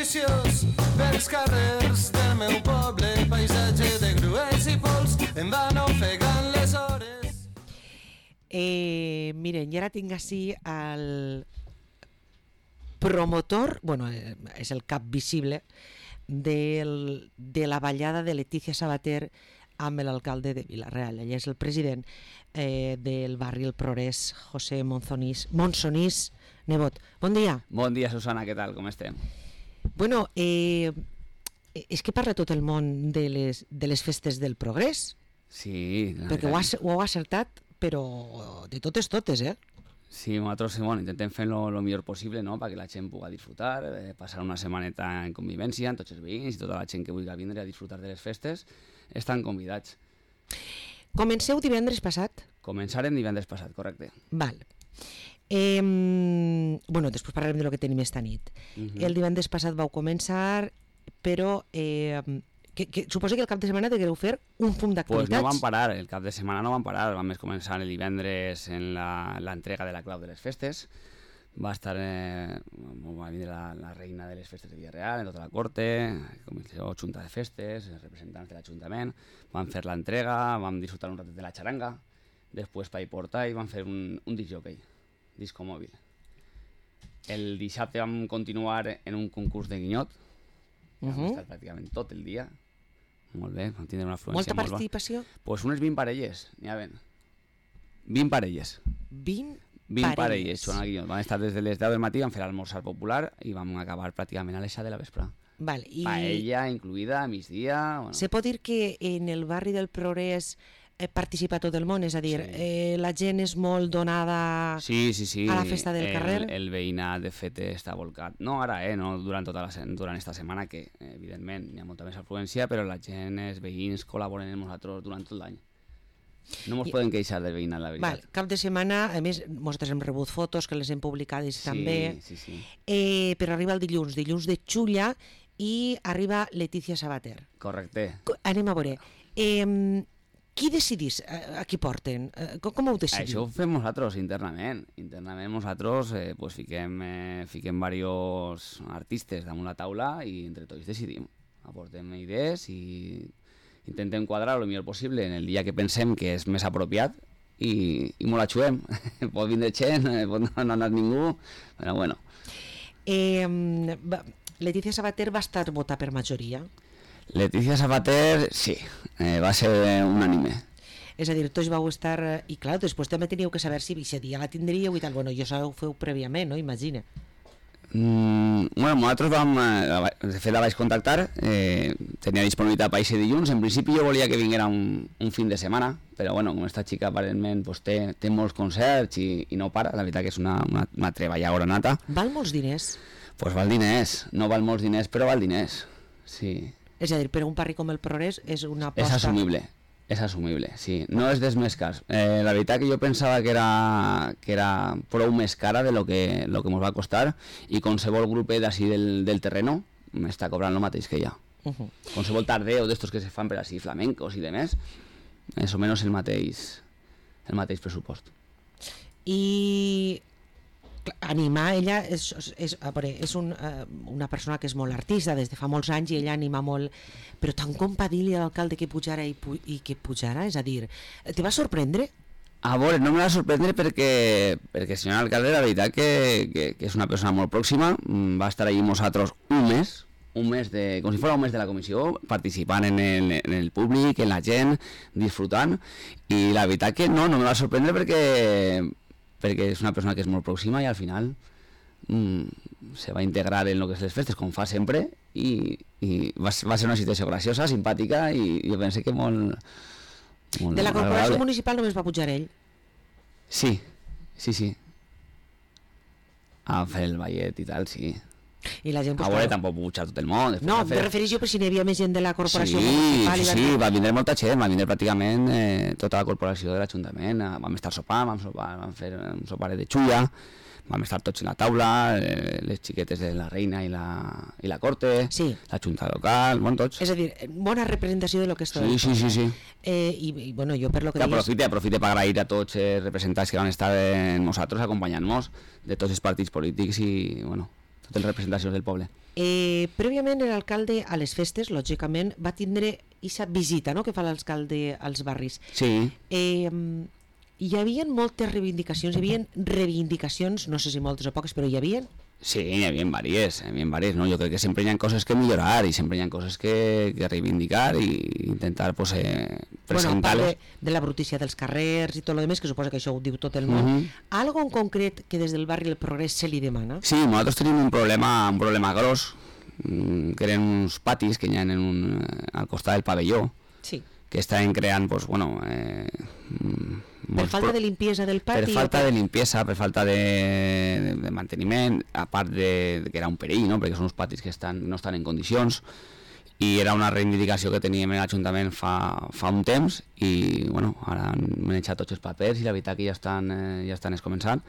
viciós pels carrers del meu poble, paisatge de grues i pols, en van ofegant les hores. Miren, i ara tinc així el promotor, bueno, és el cap visible de la ballada de Letícia Sabater amb l'alcalde de Vila-real. Ell és el president del barri El Progrés, José Monsonís Nebot. Bon dia. Bon dia, Susana, què tal? Com estem? Bueno, és que parla tot el món de les festes del Progrés. Sí. Perquè ho heu acertat, però de totes, Sí, nosaltres intentem fer lo millor possible, no?, perquè la gent pugui disfrutar, passar una setmaneta en convivència amb tots els veïns i tota la gent que vulgui vindre a disfrutar de les festes estan convidats. Comenceu divendres passat? Començarem divendres passat, correcte. Val. Bueno, després parlarem de lo que tenim esta nit. El divendres passat vau començar, però suposo que el cap de setmana degueu fer un fum d'activitats. Pues no vam parar, el cap de setmana no vam parar, vam començar el divendres en l'entrega de la clau de les festes. Va vindre la reina de les festes de Vila-real, en tota la corte, comissió junta de festes, els representants de l'Ajuntament, vam fer l'entrega, vam disfrutar un ratet de la xaranga, després per portar i vam fer un disc-jockey, disco mòbil. El dissabte vam continuar en un concurs de guinyot, vam estar pràcticament tot el dia, molt bé, vam tindre una afluència molta participació? Pues unes 20 parelles, n'hi ha 20 parelles. 20 parelles, Joan Guinyot. Vam estar des de les 10 del matí, vam fer l'esmorzar popular i vam acabar pràcticament a les 7 de la vespre. Vale, Paella incluïda, a migdia... Bueno. Se pot dir que en el barri del Progrés participa tot el món? És a dir, sí. La gent és molt donada sí. a la festa del carrer? El veïnat, de fet, està volcat. No ara, no durant esta setmana, que evidentment hi ha molta més afluència, però la gent, els veïns, col·laboren amb nosaltres durant tot l'any. No ens podem queixar del veïnat, la veritat. Val, cap de setmana, a més, nosaltres hem rebut fotos que les hem publicades també. Sí. Però arriba el dilluns de Xulla i arriba Letícia Sabater. Correcte. Anem a veure. Qui decidís a qui porten? Com ho decidim? Això ho fem nosaltres internament. Internament nosaltres fiquem diversos artistes damunt la taula i entre tots decidim. Aportem idees i intentem quadrar el millor possible en el dia que pensem que és més apropiat i molt la xuem. Pot vindre gent, pot no anar ningú, però bueno. Letícia Sabater va estar votada per majoria? Letícia Sabater, sí, va ser unànime. És a dir, tots vau estar... I clar, després també teníeu que saber si aquest dia la tindríeu i tal. Bueno, jo ho feu prèviament, no? Imagina. Bueno, nosaltres vam... De fet, la vaig contactar, tenia disponibilitat per aquest dilluns. En principi jo volia que vinguera un fin de setmana, però bueno, com esta xica aparentment té molts concerts i no para, la veritat que és una treballadora nata. Val molts diners? Pues val diners, no val molts diners, però val diners, sí. És a dir, per un barri com el Progrés és una aposta... És assumible, sí. No és dels més cars. La veritat que jo pensava que era prou més cara de lo que ens va costar i qualsevol grup d'ací del terreno m'està cobrant el mateix que ja. Qualsevol tardeo d'estos que se fan per així, flamencos i demés, més o menys el mateix pressupost. I... animar, ella és una persona que és molt artista des de fa molts anys i ella anima molt, però tan com va dir-li a l'alcalde que pujara i que pujara, és a dir, te va sorprendre? A veure, no me va sorprendre perquè el senyor alcalde, la veritat que és una persona molt pròxima, va estar allí amb nosaltres un mes, com si fos un mes de la comissió, participant en el públic, en la gent, disfrutant, i la veritat que no me va sorprendre perquè és una persona que és molt pròxima i al final se va integrar en el que és les festes, com fa sempre, i va ser una situació graciosa, simpàtica, i jo penso que molt de la corporació municipal només va pujar ell? Sí. A fer el ballet i tal, sí. I la gent, a veure, tampoc pujar tot el món. No, em refereixo per si n'hi havia més gent de la corporació municipal. Sí, va vindre molta gent, va vindre pràcticament tota la corporació de l'Ajuntament. Vam estar sopant, vam fer un soparet de xulla, vam estar tots en la taula, les xiquetes de la reina i la corte, la junta local, bueno, tots. És a dir, bona representació de lo que és tot. Sí. I bueno, jo per lo que deies... Aprofite per agrair a tots els representants que van estar amb nosaltres, acompanyant-nos de tots els partits polítics i, bueno, totes les representacions del poble. Prèviament l'alcalde a les festes, lògicament, va tindre aquesta visita, no?, que fa l'alcalde als barris. Sí. Hi havia moltes reivindicacions, no sé si moltes o poques, però hi havia? Sí, hi havia diverses, no? Jo crec que sempre hi ha coses que millorar i sempre hi ha coses que reivindicar i intentar pues, presentar-les. De la brutícia dels carrers i tot el que suposa que això ho diu tot el món. Algo en concret que des del barri El Progrés se li demana? Sí, nosaltres tenim un problema gros, que eren uns patis que hi ha al costat del pavelló, sí, que estan creant, pues, bueno... per falta de limpiesa del pati? Per falta de limpiesa, per falta de manteniment, a part de que era un perill, no?, perquè són uns patis que no estan en condicions, i era una reivindicació que teníem en l'Ajuntament fa un temps, i bueno, ara hem eixat tots els papers i la veritat que ja estan començant.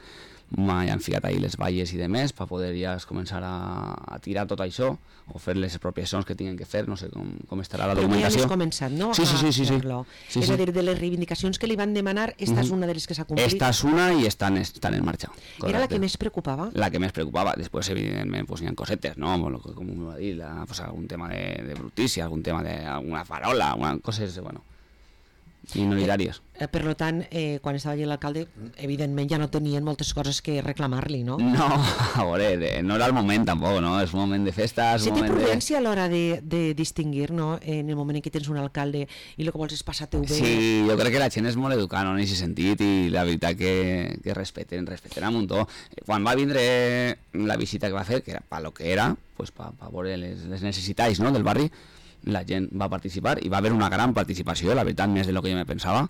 Han ficat ahir les valles i demés per poder ja començar a tirar tot això o fer les expropiacions que tinguin que fer, no sé com estarà la documentació. Però ja has començat, no? Sí. És a dir, de les reivindicacions que li van demanar, esta és una de les que s'ha complit? Esta és una i estan en marxa. Correcte. Era la que més preocupava? La que més preocupava. Després, evidentment, pues, hi ha cosetes, no? Com ho va dir, pues, algun tema de brutícia, algun tema d'alguna farola, coses, bueno, minoritàries. Per tant, quan estava allà l'alcalde, evidentment ja no tenien moltes coses que reclamar-li, no? No, a veure, no era el moment tampoc, no? És un moment de festa, és un moment de... té prudència a l'hora de distingir, no?, en el moment en què tens un alcalde i el que vols és passar-te-ho bé. Sí, jo crec que la gent és molt educada, no?, en aquest sentit, i la veritat que respeten a muntó. Quan va vindre la visita que va fer, que era per lo que era, pues per veure les necessitats, no?, del barri, la gent va participar i va haver una gran participació, la veritat, més de lo que jo me pensava.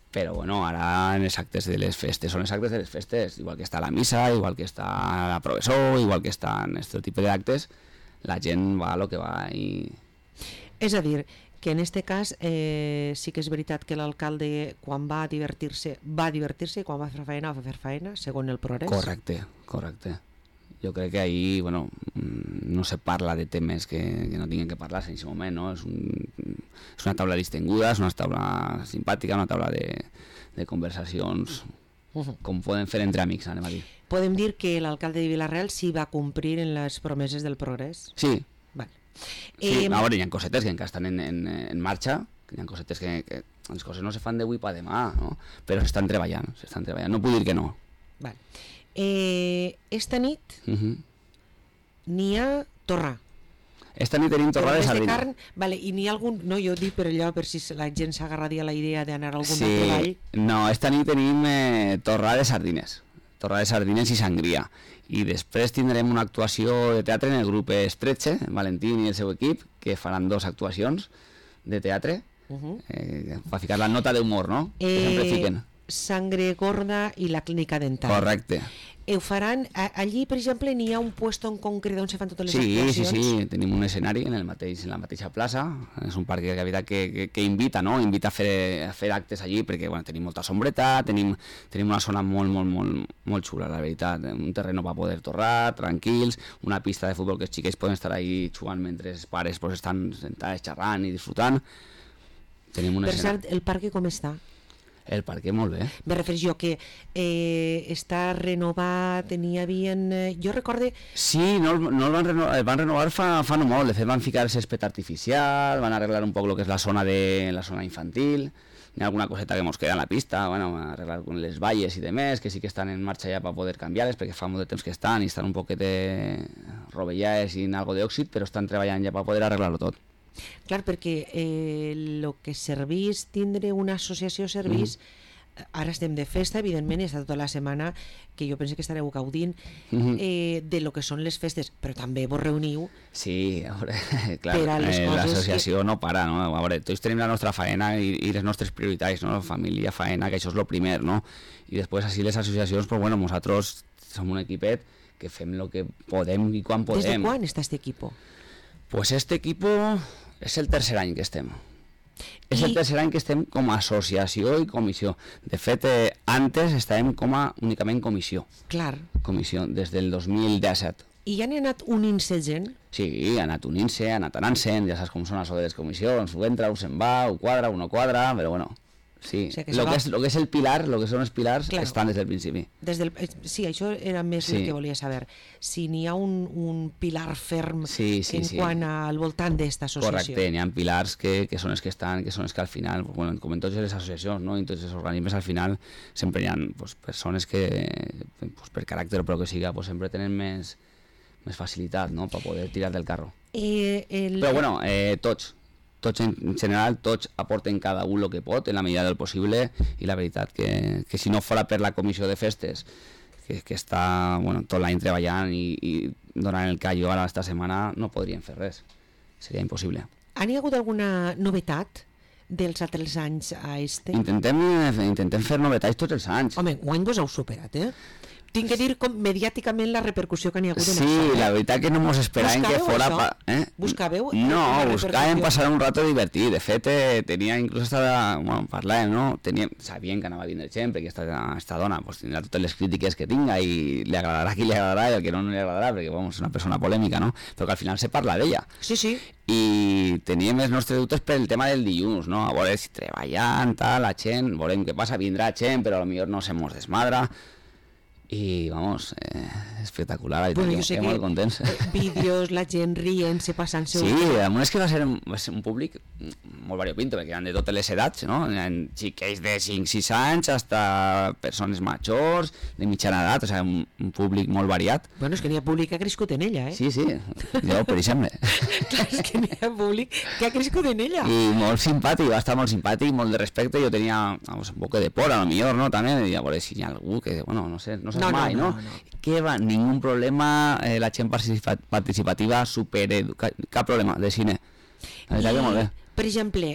Però bueno, ara en els actes de les festes, són els actes de les festes, igual que està la missa, igual que està la professor, igual que està en aquest tipus d'actes, la gent va a lo que va i... És a dir, que en este cas sí que és veritat que l'alcalde quan va divertir-se i quan va fer faena va fer faena, segons el Progrés? Correcte. Jo crec que ahir, bueno, no se parla de temes que no tinguin que parlar-se en aquest moment, no? És una taula distinguda, és una taula simpàtica, una taula de conversacions com poden fer entre amics, anem a dir. Podem dir que l'alcalde de Vila-real sí va complir en les promeses del Progrés? Sí. Vale. Sí, a veure, hi ha cosetes que encara estan en marxa, hi ha cosetes que les coses no se fan d'avui per demà, no? Però s'estan treballant, no puc dir que no. Vale. Esta nit n'hi ha torrà. Esta nit tenim torrà de sardina. Carn, vale, i n'hi ha algun... No, jo dic per allò, per si la gent s'agarraria a la idea d'anar a algun treball. No, esta nit tenim torrà de sardines. Torrà de sardines i sangria. I després tindrem una actuació de teatre en el grup Estretxe, Valentín i el seu equip, que faran 2 actuacions de teatre, per ficar la nota d'humor, no? Que sempre fiquen. Sangre gorda i la clínica dental. Correcte. Ho faran, allí per exemple n'hi ha un puesto en concret on se fan totes les actuacions? Sí, tenim un escenari en la mateixa plaça, és un parc de cavitat que invita, no? Invita a fer actes allí perquè bueno, tenim molta sombreta, tenim una zona molt xula, la veritat, un terreno per poder torrar, tranquils, una pista de futbol que els xiquets poden estar ahí jugant mentre els pares pues, estan sentats xerrant i disfrutant. Tenim un per cert, el parc com està? El parc molt bé. Me refereixo que està renovat, n'hi havia... Jo recorde... Sí, no el van renovar fa no molt, de fet van ficar el césped artificial, van arreglar un poc el que és la zona infantil, hi ha alguna coseta que mos queda en la pista, bueno, arreglar les valles i demés, que sí que estan en marxa ja per poder canviar-les, perquè fa molt de temps que estan i estan un poquet rovellades i en algo d'òxid, però estan treballant ja per poder arreglar-ho tot. Clar, perquè el que servís tindre una associació servís, ara estem de festa, evidentment, i està tota la setmana que jo penso que estareu gaudint de lo que són les festes, però també vos reuniu. Sí, a veure, clar, l'associació no para, no? A veure, tots tenim la nostra faena i les nostres prioritats, no? Família, faena, que això és el primer, no? I després, així les associacions, pues bueno, nosaltres som un equipet que fem el que podem i quan podem. Des de quan està este equipo? Pues este equipo és el tercer any que estem. És el tercer any que estem com a associació i comissió. De fet, antes estàvem únicament comissió. Clar. Comissió, des del 2017. I ja n'hi ha anat unint-se gent? Sí, ha anat unint-se, ha anat anant-se'n, ja saps com són això de les comissions, ho entra, ho se'n va, ho quadra, ho no quadra, però bueno, Sí, O sigui que lo que és el pilar, lo que són els pilars, Claro. estan des del principi. Sí, això era més el que volia saber. Si n'hi ha un pilar ferm quant al voltant d'esta associació. Correcte, n'hi ha pilars que són els que estan, que són els que al final, bueno, com en totes les associacions, no? En tots els organismes, al final sempre hi ha persones que, per caràcter o per que siga, sempre tenen més facilitat, no?, per poder tirar del carro. Però bueno, tots en general, tots aporten cada un el que pot en la medida del possible, i la veritat que si no fora per la comissió de festes que està tot l'any treballant i donant el callo ara esta setmana, no podrien fer res, seria impossible. Han hi hagut alguna novetat dels altres anys a este? Intentem fer novetats tots els anys. Home, guany vos heu superat, Tinc que dir com mediàticament la repercussió que n'hi ha hagut en això. Sí, la veritat que no mos esperàvem que fora... Buscàveu? No, buscàvem passar un rato divertit. De fet, tenia inclús parlàvem, no? Sabíem que anava a vindre gent, perquè esta dona tindrà totes les crítiques que tinga i li agradarà a qui li agradarà i al que no li agradarà, perquè és una persona polèmica, no? Però que al final se parla d'ella. Sí, sí. I teníem els nostres dubtes pel tema del dilluns, no? A veure si treballant, la gent, veurem què passa, vindrà gent, però potser no se mos desmadra. I, vamos, espectacular, bueno, jo sé molt contents. Vídeos, la gent rient-se, passant-se... Sí, és que va ser un públic molt variopinto, perquè eren de totes les edats, no? Eren xiquets de 5-6 anys, fins persones majors, de mitjana edat, o sigui, un públic molt variat. Bueno, és que n'hi ha públic que ha crescut en ella, Sí, jo, per exemple. Clar, és que n'hi ha públic que ha crescut en ella. I molt simpàtic, va estar molt simpàtic, molt de respecte, jo tenia un poc de por, a lo millor, no?, també, i a veure si hi ha algú que, bueno, no sé, no mai, no? Que va, ningún problema, la gent participativa, cap problema, de cine. La veritat que molt bé. Per exemple,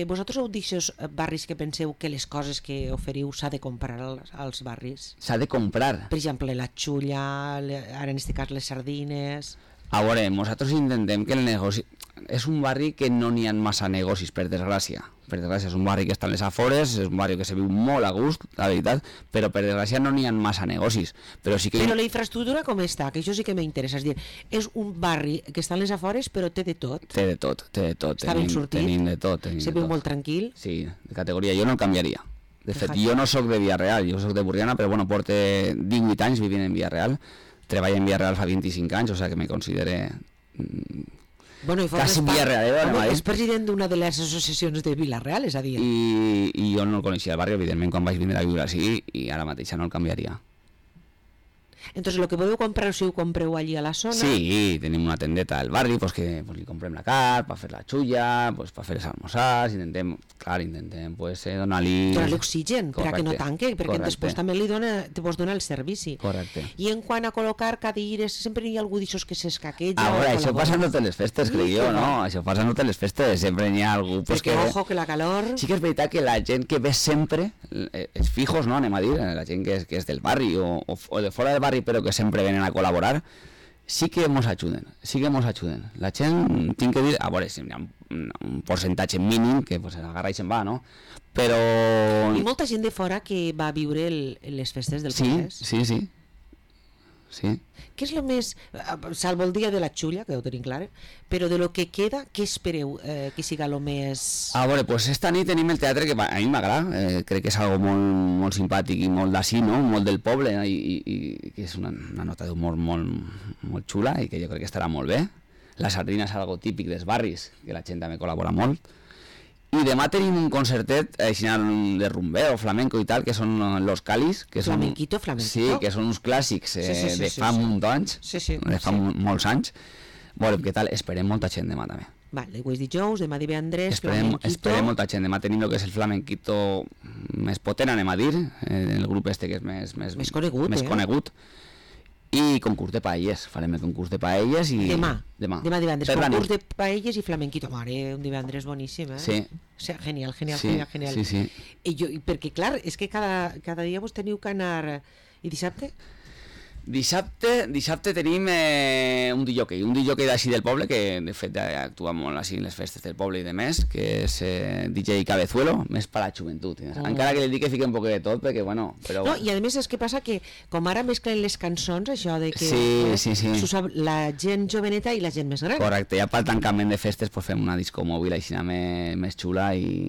vosaltres heu d'aixòs barris que penseu que les coses que oferiu s'ha de comprar als barris? S'ha de comprar? Per exemple, la xulla, ara en aquest cas les sardines... A veure, nosaltres intentem que el negoci... És un barri que no n'hi ha massa negocis, per desgràcia. Per desgràcia, és un barri que està en les afores, és un barri que se viu molt a gust, la veritat, però per desgràcia no n'hi ha massa negocis. Però la infraestructura com està? Que això sí que m'interessa. És dir, és un barri que està en les afores, però té de tot. Té de tot. Està ben sortit? Tenim de tot. Se viu molt tranquil? Sí, de categoria. Jo no el canviaria. De fet, jo no sóc de Villarreal, jo sóc de Burriana, però bueno, porto 18 anys vivint en Villarreal. Treballo en Villarreal fa 25 anys, o sigui que me considere... quasi Villarreal. És president d'una de les associacions de Villarreal, és a dir... I jo no el coneixia el barri, evidentment, quan vaig vindre a viure així, i ara mateix no el canviaria. Entonces, lo que podeu comprar, si ho compreu allí a la zona... Sí, tenim una tendeta al barri, pues que li comprem la carn, per fer la xulla, pues per fer els almorzars, intentem pues, donar-li... Donar-li oxigen, perquè no tanque, perquè després també te vos dona el servici. Correcte. I en quant a col·locar cadires, sempre hi ha algú d'aixòs que s'escaqueja... Ara, això passa en totes les festes, crec jo, no? Això passa en totes les festes, sempre hi ha algú... Perquè, ojo, que la calor... Sí que és veritat que la gent que ve sempre, els fijos, no, anem a dir, la gent que és del barri o de fora del barri, però que sempre venen a col·laborar, sí que mos ajuden. La gent, tinc que dir, a veure, si hi ha un percentatge mínim que pues, agarra i se'n va, no? Però... I molta gent de fora que va viure les festes del Congrés. Sí. Què és el més, salvo el dia de la xulla, que ho tenim clar, però de lo que queda, què espereu que siga el més... A veure, pues esta nit tenim el teatre que a mi m'agrada, crec que és algo molt, molt simpàtic i molt d'ací, no? Molt del poble, i que és una nota d'humor molt xula i que jo crec que estarà molt bé. La sardina és algo típic dels barris, que la gent també col·labora molt. I demà tenim un concertet de rumbeo, flamenco i tal, que són los Calis. Flamenquito. Sí, que són uns clàssics de fa un munt d'anys, de fa molts anys. Veurem què tal, esperem molta gent demà també. Vale, avui és dijous, demà divendres, flamenquito. Esperem molta gent, demà tenim el que és el flamenquito més potent, anem a dir, el grup este que és més conegut. I concurs de paelles, farem el concurs de paelles i... Demà divendres, concurs de paelles i flamenquito. Mare, un divendres boníssim, Sí. O sigui, genial. Sí. I perquè, clar, és que cada dia vos teniu que anar... I dissabte? Dissabte tenim un DJ d'així del poble, que de fet actua molt així en les festes del poble i de més, que és DJ Cabezuelo, més per a la joventut. Encara que li dic que fica un poc de tot, perquè bueno... Però... No, i a més és que passa que, com ara mesclen les cançons, això de que sí. s'ho sap la gent joveneta i la gent més gran. Correcte, ja pel tancament de festes pues fem una disco mòbil així més xula i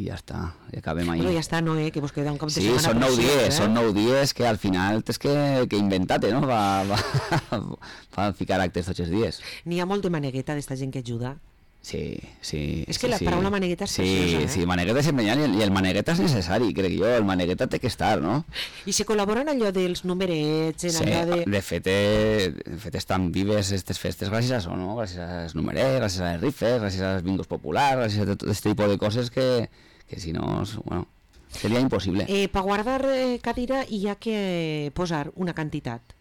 ja està, i acabem ahí. Bueno, ja està, no, que vos queda un cap de sí, setmana. Són 9 dies, són 9 dies que al final tens que inventar-te, no? Va ficar actes tots els dies. N'hi ha molt de manegueta d'esta gent que ajuda. Sí. És que la paraula manegueta és preciosa, Sí, manegueta és emprenyant i el manegueta és necessari, crec jo, el manegueta té que estar, no? I se col·labora en allò dels numerets, en allò de... De fet estan vives aquestes festes gràcies a això, no? Gràcies als numerets, gràcies a les rifes, gràcies als bingos populars, gràcies a tot aquest tipus de coses que si no, bueno, seria impossible. Per guardar cadira hi ha que posar una quantitat.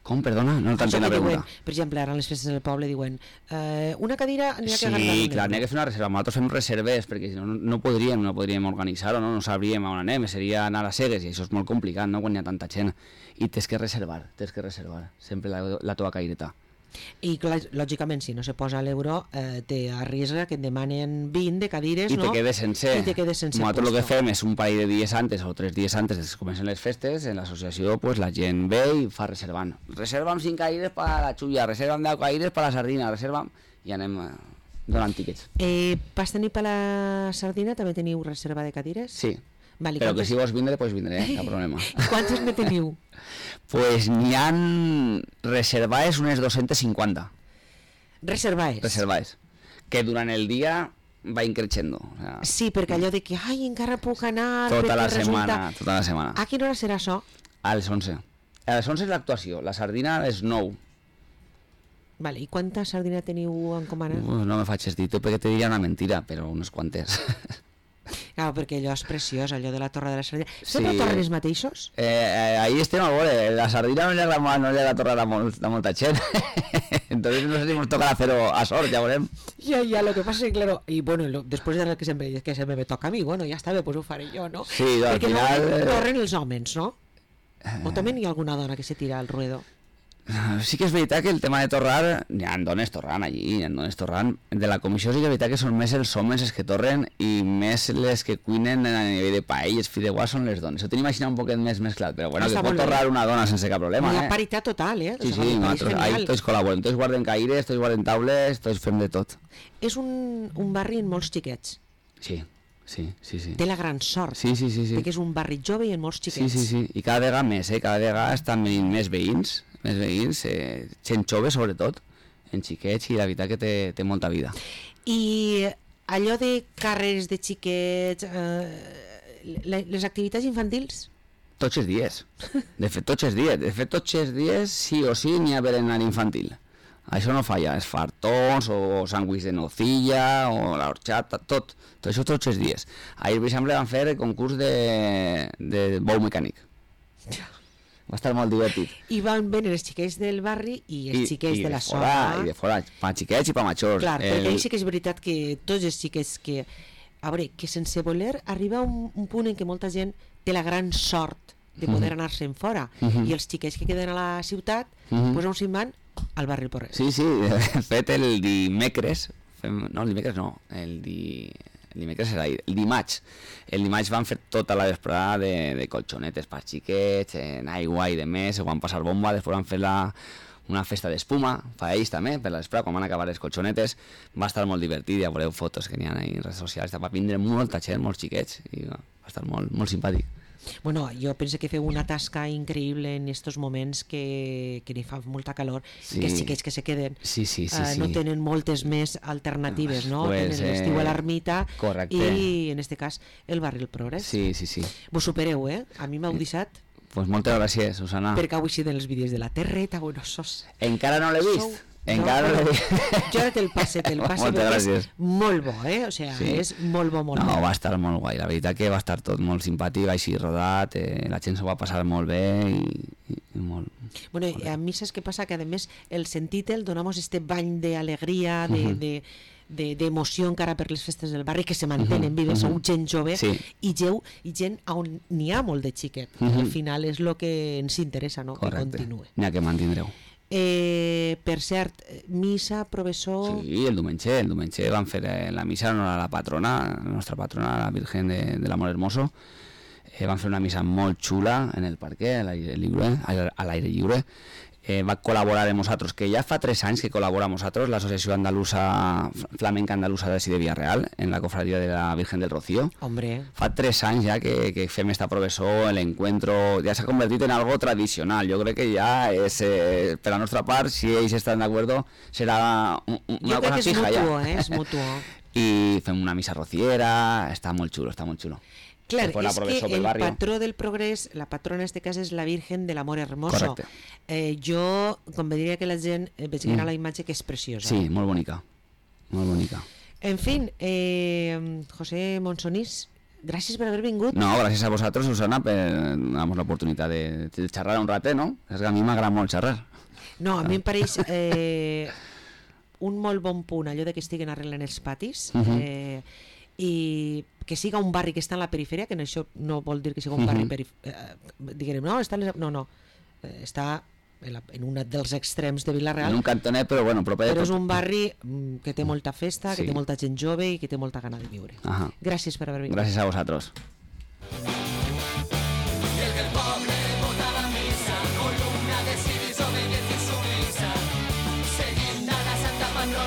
Com, perdona? No t'entenc la pregunta. Per exemple, ara en les festes del poble diuen una cadira n'hi ha que agafar. Sí, clar, n'hi ha que fer una reserva. Nosaltres fem reserves perquè si no, no podríem organitzar-ho, no sabríem on anem, seria anar a cegues i això és molt complicat, no?, quan hi ha tanta gent. I tens que reservar sempre la teva caireta. I clar, lògicament, si no se posa l'euro, t'arrisca que et demanen 20 de cadires, I no? te quedes sense. Nosaltres el que fem és un parell de dies antes o 3 dies antes de que comencen les festes, en l'associació pues, la gent ve i fa reservant. Reserva'm 5 caires per la xulla, reserva'm 10 caires per la sardina, reserva'm... I anem donant tíquets. Pas tenir per la sardina també teniu reserva de cadires? Sí. Vale, però que si vols vindre, pots vindre, cap problema. Quantes ne teniu? Pues n'hi ha reservades unes 250. Reservades? Que durant el dia va increixendo. O sea, sí, perquè allò de que, ai, encara puc anar... Tota la setmana. A quina hora serà això? A les 11. A les 11 és l'actuació, la sardina a les 9. Vale, i quanta sardina teniu encomanat? No me faig dir, perquè te diria una mentira, però unes quantes. Clar, perquè allò és preciós, allò de la torre de la sardina. Sempre torren els mateixos? Ahí estem a veure, la sardina no li agrada torrar a molta gent. Entonces no sé si nos toca hacerlo a sort, ya veremos. Ya, lo que pasa es que, claro, y bueno, después de que se me toca a mí, bueno, ya está, pues ho faré jo, no? Sí, al perquè final... Perquè torren els homes, no? O també hi ha alguna dona que se tira al ruedo? Sí que és veritat que el tema de torrar, hi ha dones torrant allí, de la comissió sí que és veritat que són més els homes els que torren i més les que cuinen a nivell de paelles, fideuà són les dones. Ho tenim imaginat un poquet més mesclat, però bueno, que pot torrar una dona sense cap problema, La paritat total, Sí, nosaltres ahí tots col·laborem, tots guarden caires, tots guarden taules, tots fem de tot. És un barri amb molts xiquets. Sí. Té la gran sort, sí. perquè és un barri jove i amb molts xiquets. Sí, i cada vegada més, cada vegada estan venint més veïns, gent jove sobretot, en xiquets, i la veritat que té molta vida. I allò de carrers de xiquets, les activitats infantils? Tots els dies, de fet tots els dies sí o sí n'hi ha berenar infantil. Això no falla, els fartons o sàndwich de nocilla o la horchata, tot això tots els dies. Ahir, per exemple, van fer el concurs de bou mecànic. Va estar molt divertit. I van venir els xiquets del barri i els xiquets de la zona. I de fora, pa xiquets i pa majors. Clar, perquè ahí sí que és veritat que tots els xiquets que... A veure, que sense voler arriba un punt en què molta gent té la gran sort de poder anar-se'n fora. I els xiquets que queden a la ciutat, doncs on se'n van? Al barri Porret. Sí, de fet el dimecres, el dimecres era ahir, el dimarts van fer tota la vesprada de colxonetes per xiquets, en aigua i de més, ho van passar bomba, després van fer una festa d'espuma, per ells també, per la vesprada, quan van acabar les colxonetes, va estar molt divertit, ja veureu fotos que n'hi ha en redes socials, va vindre molta gent, molts xiquets, i va estar molt simpàtic. Bueno, jo penso que feu una tasca increïble en estos moments que n'hi fa molta calor, que els xiquets que se queden no tenen moltes més alternatives, no? Tenen l'estiu a l'ermita i, en este cas, el barri El Progrés. Sí. Vos supereu, A mi m'heu deixat... Pues moltes gràcies, Susana. Perquè heu eixit en els vídeos de la terreta, bueno, sos... Encara no l'he vist. Jo ara te'l passe perquè és molt bo, o sigui, és molt bo. No, va estar molt guai, la veritat que va estar tot molt simpàtic, així rodat, la gent s'ho va passar molt bé i molt... Bueno, a mi saps què passa? Que a més el sentit-el donamos este bany d'alegria, d'emoció encara per les festes del barri, que se mantenen vives, sou gent jove, i gent on n'hi ha molt de xiquet. Al final és el que ens interessa, no? Que continuï. N'hi ha que mantindreu. Per cert, missa, professor... Sí, el diumenge van fer la missa en honor a la patrona, la nostra patrona, la Virgen de l'Amor Hermoso. Van fer una missa molt xula en el parque, a l'aire lliure. Va col·laborar amb nosaltres, que ja fa 3 anys que col·labora amb nosaltres l'Associació Andalusa, Flamenca Andalusa de Villareal, en la cofradía de la Virgen del Rocío. Hombre. Fa 3 anys ja que fem esta professor, l'encuentro, ja s'ha convertit en algo tradicional. Jo crec que ja és, per la nostra part, si ells estan d'acord, serà una cosa fija ja. Jo crec que és mutuo, I fem una missa rociera, està molt xulo, està molt xulo. Clar, és que el patró del progrés, la patrona en este cas és la Virgen de l'Amor Hermoso. Correcte. Jo convendria que la gent vegera la imatge, que és preciosa. Sí, molt bonica, molt bonica. En fin, José Monsonís, gràcies per haver vingut. No, gràcies a vosaltres, Susana, per donar-nos l'oportunitat de xerrar un ratet, no? És que a mi m'agrada molt xerrar. No, a mi em pareix un molt bon punt allò de que estiguen arreglant els patis, i que siga un barri que està en la perifèria, que això no vol dir que siga un barri diguem, no, està en un dels extrems de Vila-real, en un cantonet, però bueno, però és un barri que té molta festa, que té molta gent jove i que té molta gana de viure. Gràcies per haver vingut. Gràcies a vosaltres.